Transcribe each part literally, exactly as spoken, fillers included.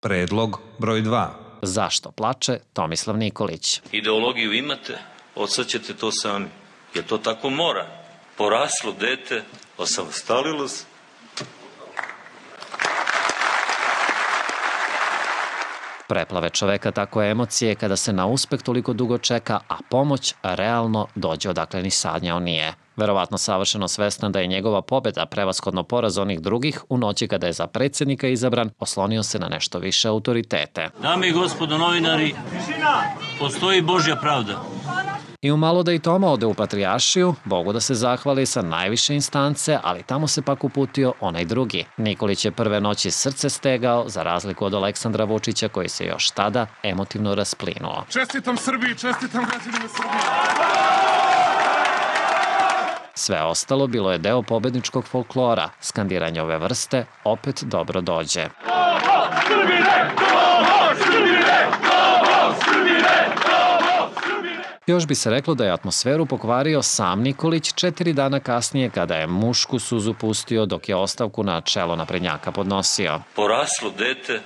Predlog broj dva. Zašto plače Tomislav Nikolić? Ideologiju imate, odsad to sami. Jer to tako mora. Poraslo dete, osamostalilo se. Preplave čoveka tako emocije kada se na uspeh toliko dugo čeka, a pomoć realno dođe odakle ni sanjao nije. Verovatno savršeno svestan da je njegova pobeda prevashodno poraz onih drugih, u noći kada je za predsjednika izabran, oslonio se na nešto više autoritete. Dame i gospodo novinari, postoji Božja pravda. I umalo da i Toma ode u Patrijaršiju, Bogu da se zahvali sa najviše instance, ali tamo se pak uputio onaj drugi. Nikolić je prve noći srce stegao, za razliku od Aleksandra Vučića koji se još tada emotivno rasplinuo. Čestitam Srbiji, čestitam građanima Srbije! Sve ostalo bilo je deo pobedničkog folklora. Skandiranje ove vrste opet dobro dođe. Još bi se reklo da je atmosferu pokvario sam Nikolić četiri dana kasnije kada je mušku suzu pustio dok je ostavku na čelo naprednjaka podnosio. Poraslo dete,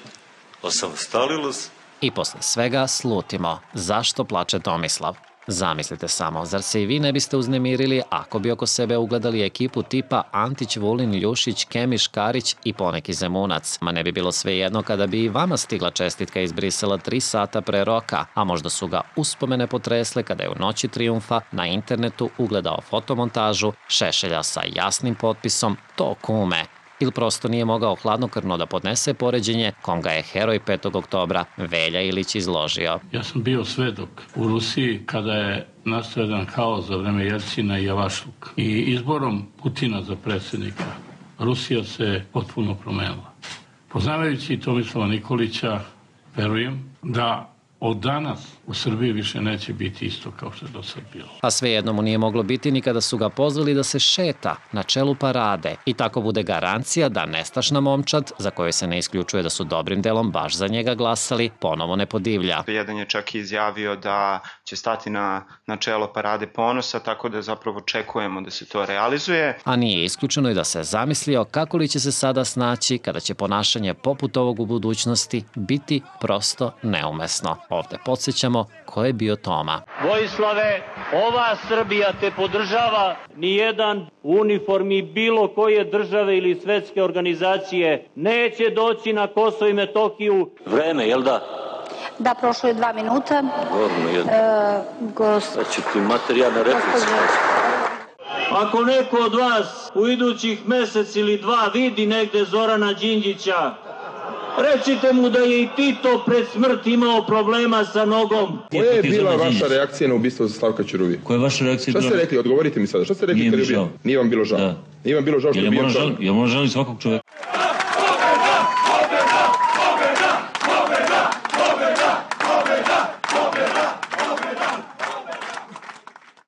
osamostalilo se. I posle svega slutimo. Zašto plače Tomislav? Zamislite samo, zar se i vi ne biste uznemirili ako bi oko sebe ugledali ekipu tipa Antić, Vulin, Ljušić, Kemiš, Karić i poneki Zemunac? Ma ne bi bilo svejedno kada bi i vama stigla čestitka iz Brisela tri sata pre roka, a možda su ga uspomene potresle kada je u noći trijumfa na internetu ugledao fotomontažu Šešelja sa jasnim potpisom "To kume", ili prosto nije mogao hladnokrvno da podnese poređenje kom ga je heroj petog oktobra Velja Ilić izložio. Ja sam bio svedok u Rusiji kada je nastao jedan haos za vreme Jelcina i Javašluka. I izborom Putina za predsjednika Rusija se potpuno promenila. Poznavajući Tomislava Nikolića, verujem da od danas u Srbiji više neće biti isto kao što je do sad bilo. A svejedno mu nije moglo biti ni kada su ga pozvali da se šeta na čelu parade i tako bude garancija da nestašna momčad, za koju se ne isključuje da su dobrim delom baš za njega glasali, ponovo ne podivlja. Jedan je čak i izjavio da će stati na, na čelo parade ponosa, tako da zapravo očekujemo da se to realizuje. A nije isključeno i da se zamislio kako li će se sada snaći kada će ponašanje poput ovog u budućnosti biti prosto neumesno. Ovde podsjećamo ko je bio Toma. Vojislave, ova Srbija te podržava, nijedan u uniformi bilo koje države ili svetske organizacije neće doći na Kosovo i Metohiju. Vreme, jel da? Da, prošlo je dva minuta. Gorno jedno. E, gost... Da će ti materijalna replica. Ako neko od vas u idućih mesec ili dva vidi negde Zorana Đinđića, recite mu da je i Tito pred smrt imao problema sa nogom. Koja je bila vaša reakcija na ubistvo za Slavka Ćuruvije? Koja je vaša reakcija? Šta ste rekli? Odgovorite mi sada. Šta ste rekli kad je ubio? Nije vam bilo žao. Nije vam bilo žao što je bio čovjek? Ja moram žalim svakog čovjeka.